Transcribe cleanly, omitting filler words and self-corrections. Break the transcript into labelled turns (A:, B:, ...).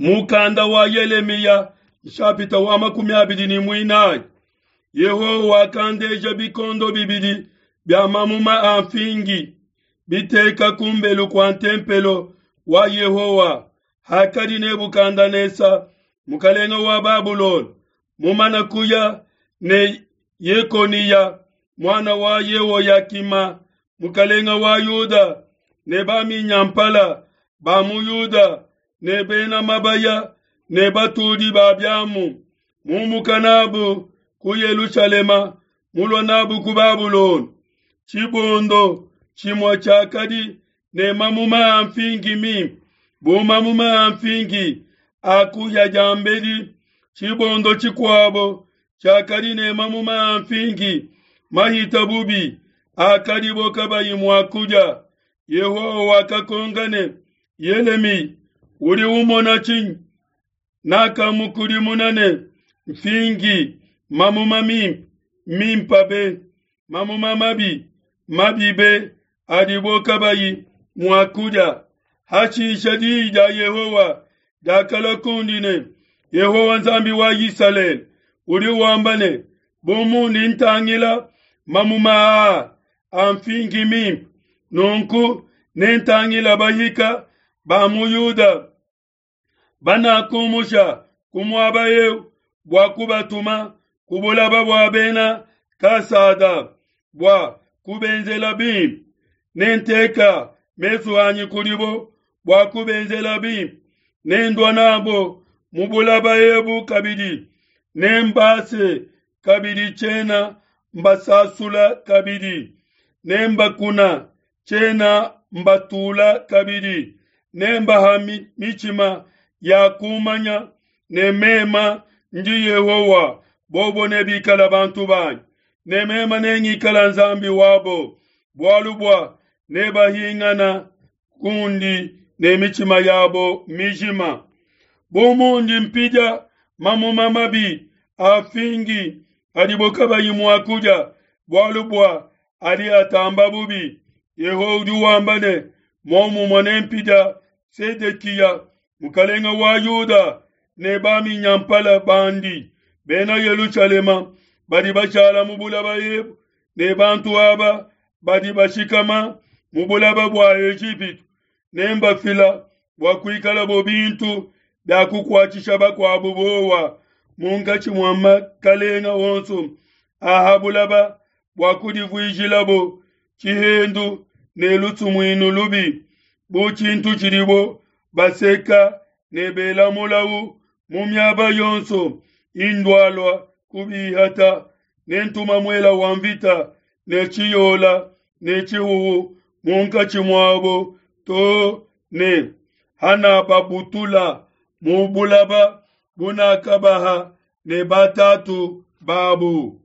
A: Mukanda wa Yelemiya nshapita wa 24. Yehowa wakandeja bikondo bibidi bia mamuma a mfingi biteka kumbelu kua ntempelo wa Yehowa hakadi Nebukadenesa mukalenge wa Babulona mumana kuya ne Yekoniya muana wa Yehoyakima mukalenge wa Yuda ne baminyampala ba mu Yuda ne bena mabaya ne batudi ba biamu mumuka nabu ku Yelushalema mulua nabu ku Babulona. Tshibondo tshimue tshiakadi ne mamuma a mfingi mimpe bu mamuma a mfingi a kuhia diambedi, tshibondo tshikuabo tshiakadi ne mamuma a mfingi mahita bubi akadibo kabayi mua kudia. Yehowa wakakonka ne, Yelemiya, udi umona tshinyi? Nakamukudimuna ne, Mfingi mamuma mimpe, mimpe be, mamuma mabi, mabi be, adibo kabayi mua kudia. Hashisha diyi dia Yehowa diakalua kundi ne, Yehowa Nzambi wa Isalele udi wamba ne, Bu mundi ntangila mamuma aa a mfingi mimpe, nunku nentangila bahika ba mu Yuda banakumusha ku muaba eu bua kubatuma ku bulaba bua bena Kasada bua kubenzela bimpe. Nenteka mesu anyi kudibo bua kubenzela bimpe, nendua nabo mu bulaba ebu kabidi, nembase kabidi tshiena mbasasula kabidi, nembakuna tshiena mbatula kabidi, nembaha mitshima ya kumanya ne mema ndi Yehowa, bobo nebikala bantu banyi, ne mema nengikala Nzambi wabo, bualu bua nebahingana kundi ne mitshima yabo mijima. Bu mundi mpidia mamuma mabi a fingi adibo kabayi mua kudia, bualu bua adi atamba bubi, Yehowa udi wamba ne, Momumue nempidia Sedekiya mukalenge wa Yuda ne baminyampala bandi bena Yelushalema badi bashala mu bulaba ebu ne bantu aba badi bashikama mu bulaba bua Ejipitu, nembafila bua kuikalabo bintu bia kukuatshisha bakuabu bowa munkatshi mua makalenga onso a ha bulaba bua kudivuijilabo tshihendu ne lusumuinu lubi, bu tshintu tshidibo baseka ne bela mulau mu miaba yonso indualua kubihata. Nentuma muela wa mvita ne tshiyola ne tshihuhu munkatshi muabo to ne hanababutula mu bulaba bunakabaha ne batatu babu.